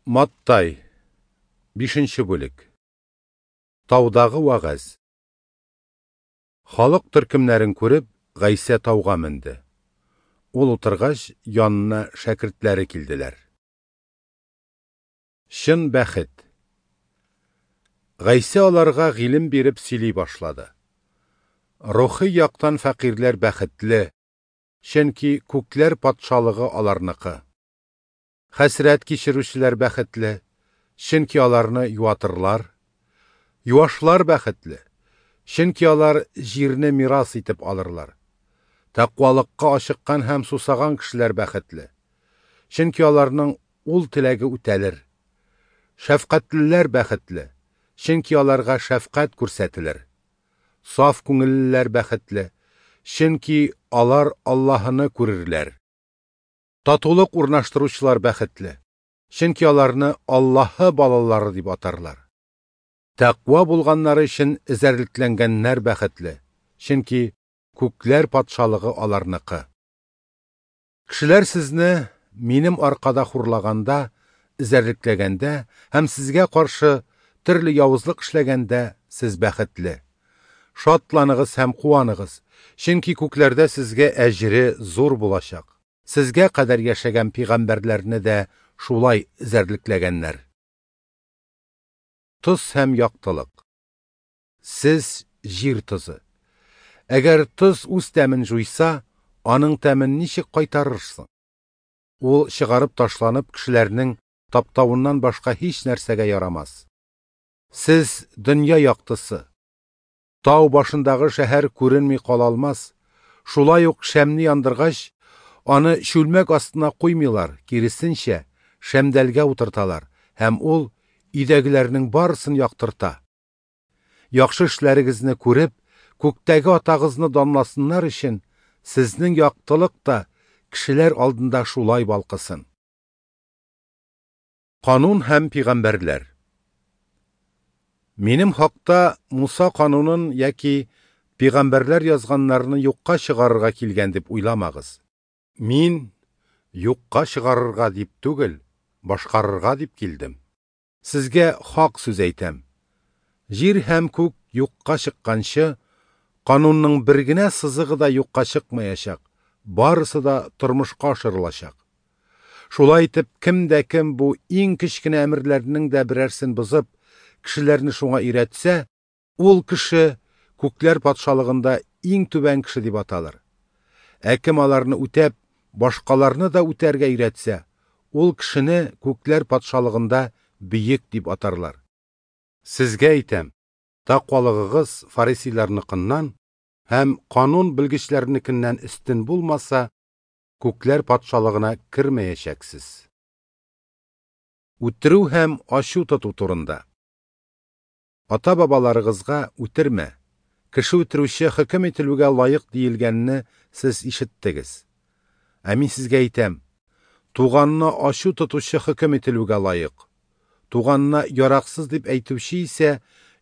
Маттай, 5 бүлек. Таудагы вәгазь. Халык төркемнәрен күреп, Гайсә тауга менде. Ул утыргач, янына шәкертләре килделәр. Чын бәхет. Гайсә аларга гыйлем биреп сөйли башлады. Рухи яктан фәкыйрьләр бәхетле, чөнки күкләр патшалыгы аларныкы. Хәсрәт кичерүчеләр бәхетле, чөнки аларны юатырлар. Юашлар бәхетле, чөнки алар җирне мирас итеп алырлар. Тәкъвалыкка ашыккан һәм сусаган кешеләр бәхетле, чөнки аларның ул теләге үтәлер. Шәфкатьлеләр бәхетле, чөнки аларга шәфкать күрсәтелер. Саф күңеллеләр бәхетле, чөнки алар Аллаһыны күрерләр. Татулык урнаштыручылар бәхетле, чөнки аларны Аллаһы балалары дип атарлар. Тәкъва булганнары өчен эзәрлекләнгәннәр бәхетле, чөнки күкләр патшалыгы аларныкы. Кешеләр сезне минем аркада хурлаганда, эзәрлекләгәндә һәм сезгә каршы төрле явызлык эшләгәндә сез бәхетле. Шатланыгыз һәм куаныгыз, чөнки күкләрдә сезгә әҗре зур булачак. Сезгә кадәр яшәгән пәйгамбәрләрне дә шулай эзәрлекләгәннәр. Тоз һәм яктылык. Сез җир тозы. Әгәр тоз үз тәмен җуйса, аның тәмен ничек кайтарырсың? Ул чыгарып ташланып кешеләрнең таптавыннан башка һич нәрсәгә ярамас. Сез дөнья яктысы. Тау башындагы шәһәр күренми кала алмас. Шулай ук шәмне яндыргач, аны чүлмәк астына куймыйлар, киресенчә, шәмдәлгә утырталар һәм ул өйдәгеләрнең барысын яктырта. Яхшы эшләрегезне күреп, күктәге атагызны данласыннар өчен, сезнең яктылык та кешеләр алдында шулай балкысын. Канун һәм пәйгамбәрләр. Минем хакта Муса канунын яки пәйгамбәрләр язганнарны юкка чыгарырга килгән дип уйламагыз. Мин юкка чыгарырга дип түгел, башкарырга дип килдем. Сезгә хак сүз әйтәм. Җир һәм күк юкка чыкканчы, канунның бер генә сызыгы да юкка чыкмаячак, барысы да тормышка ашырылачак. Шулай итеп, кем дә кем бу иң кечкенә әмерләрнең дә берәрсен бозып, кешеләрне шуңа өйрәтсә, ул кеше күкләр патшалыгында иң түбән кеше дип аталыр. Ә кем аларны үтәп, башкаларны да үтәргә өйрәтсә, ул кешене күкләр патшалыгында бөек дип атарлар. Сезгә әйтәм, тәкъвалыгыгыз фарисейларныкыннан һәм канун белгечләренекеннән өстен булмаса, күкләр патшалыгына кермәячәксез. Үтерү һәм ачу тоту турында. Ата-бабаларыгызга үтермә, кеше үтерүче хөкем ителүгә лаек диелгәнне сез ишеттегез. Ә мин сезгә әйтәм, туганына ачу тотучы хөкем ителүгә лаек. Туганына яраксыз дип әйтүче исә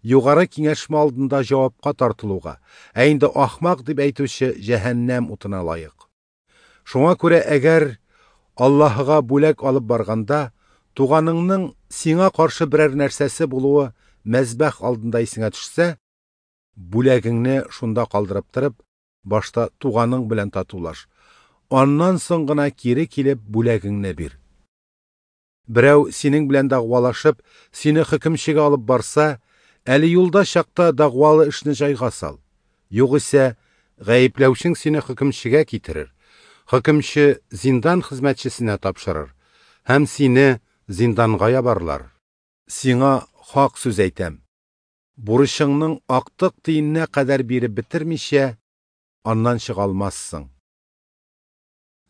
югары киңәшмә алдында җавапка тартылуга, ә инде ахмак дип әйтүче җәһәннәм утына лаек. Шуңа күрә әгәр Аллаһыга бүләк алып барганда, туганыңның сиңа каршы берәр нәрсәсе булуы мәзбәх алдында исеңә төшсә, бүләгеңне шунда калдырып торып, башта туганың белән татулаш. Аннан соң гына кире килеп бүләгеңне бир. Берәү синең белән дәгъвалашып, сине хөкемчегә алып барса, әле юлда чакта дәгъвалы эшне җайга сал. Югыйсә, гаепләүчең сине хөкемчегә китерер. Хөкемче зиндан хезмәтчесенә тапшырыр һәм сине зинданга ябарлар. Сиңа хак сүз әйтәм. Бурычыңның актык тиененә кадәр биреп бетермичә, аннан чыга алмассың.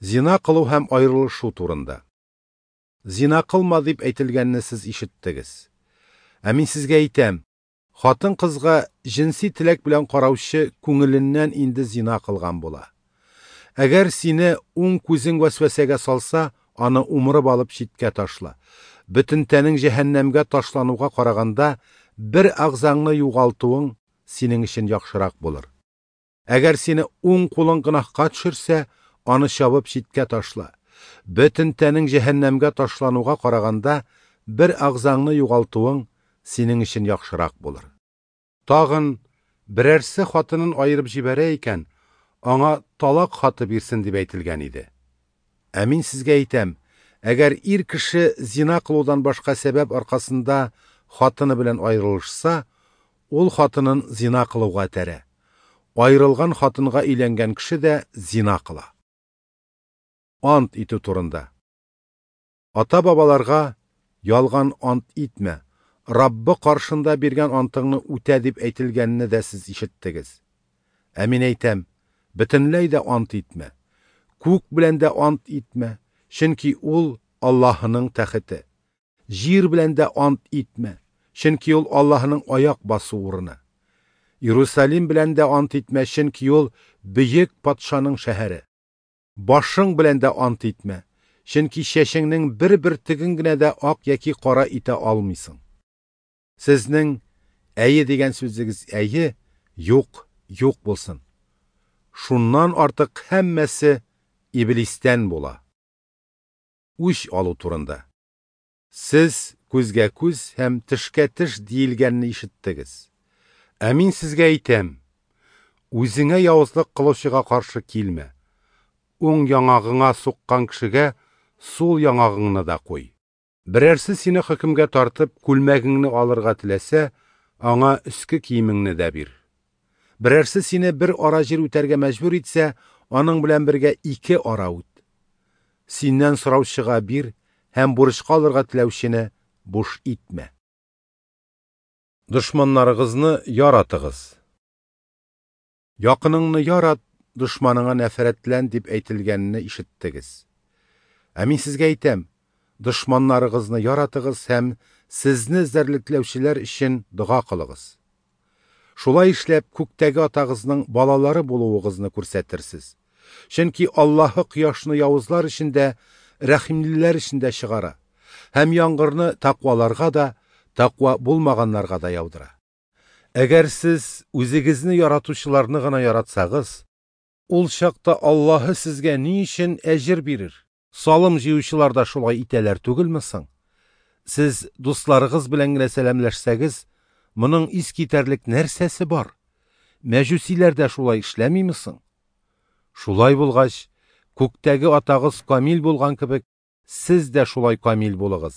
Зина кылу һәм аерылышу турында. Зина кылма дип әйтелгәнне сез ишеттегез. Ә мин сезгә әйтәм, хатын-кызга җенси теләк белән караучы күңеленнән инде зина кылган була. Әгәр сине уң күзең вәсвәсәгә салса, аны умырып алып читкә ташла. Бөтен тәнең җәһәннәмгә ташлануга караганда, бер ағзаңны югалтуың синең өчен яхшырак булыр. Әгәр сине уң кулың гөнаһка төшерсә, аны чабып читкә ташла. Бөтен тәнең җәһәннәмгә ташлануга караганда, бер әгъзаңны югалтуың синең өчен яхшырак булыр. Тагын, Берәрсе хатынын аерып җибәрә икән, аңа талак хаты бирсен, дип әйтелгән иде. Ә Мин сезгә әйтәм, әгәр ир кеше зина кылудан башка сәбәп аркасында хатыны белән аерылышса, ул хатынын зина кылуга этәрә. Аерылган хатынга өйләнгән кеше дә зина кыла. Ант итү турында. Ата-бабаларга ялган ант итмә, Раббы каршында биргән антыңны үтә дип әйтелгәнне дә сез ишеттегез. Ә Мин әйтәм, бөтенләй дә ант итмә. Күк белән дә ант итмә, чөнки ул Аллаһының тәхете. Җир белән дә ант итмә, чөнки ул Аллаһының аяк басу урыны. Иерусалим белән дә ант итмә, чөнки ул бөек патшаның шәһәре. Башың белән дә ант итмә, чөнки чәчеңнең бер бөртеген генә дә ак яки кара итә алмыйсың. Сезнең әйе дигән сүзегез әйе, юк, юк булсын. Шуннан артык һәммәсе иблистән була. Үч алу турында. Сез күзгә күз һәм тешкә теш диелгәнне ишеттегез. Ә Мин сезгә әйтәм, үзеңә явызлык кылучыга каршы килмә. Уң яңагыңа суккан кешегә сул яңагыңны да куй. Берәрсе сине хөкемгә тартып, күлмәгеңне алырга теләсә, аңа өске киемеңне дә бир. Берәрсе сине бер ара җир үтәргә мәҗбүр итсә, аның белән бергә ике ара үт. Синнән сораучыга бир һәм бурычка алырга теләүчене буш итмә. Дошманнарыгызны яратыгыз. Якыныңны ярат, дошманыңа нәфрәтлән дип әйтелгәнне ишеттегез. Ә Мин сезгә әйтәм, дошманнарыгызны яратыгыз һәм сезне эзәрлекләүчеләр өчен дога кылыгыз. Шулай эшләп, күктәге атагызның балалары булуыгызны күрсәтерсез. Чөнки Аллаһы кояшны явызлар өчен дә, рәхимлеләр өчен дә чыгара һәм яңгырны тәкъваларга да, тәкъва булмаганнарга да яудыра. Әгәр сез үзегезне яратучыларны гына яратсагыз, ул чакта Аллаһы сезгә ни өчен әҗер бирер? Салым җыючылар да шулай итәләр түгелме соң? Сез дусларыгыз белән генә сәламләшсәгез, моның искитәрлек нәрсәсе бар? Мәҗүсиләр дә шулай эшләмиме соң? Шулай булгач, күктәге атагыз камил булган кебек, сез дә шулай камил булыгыз.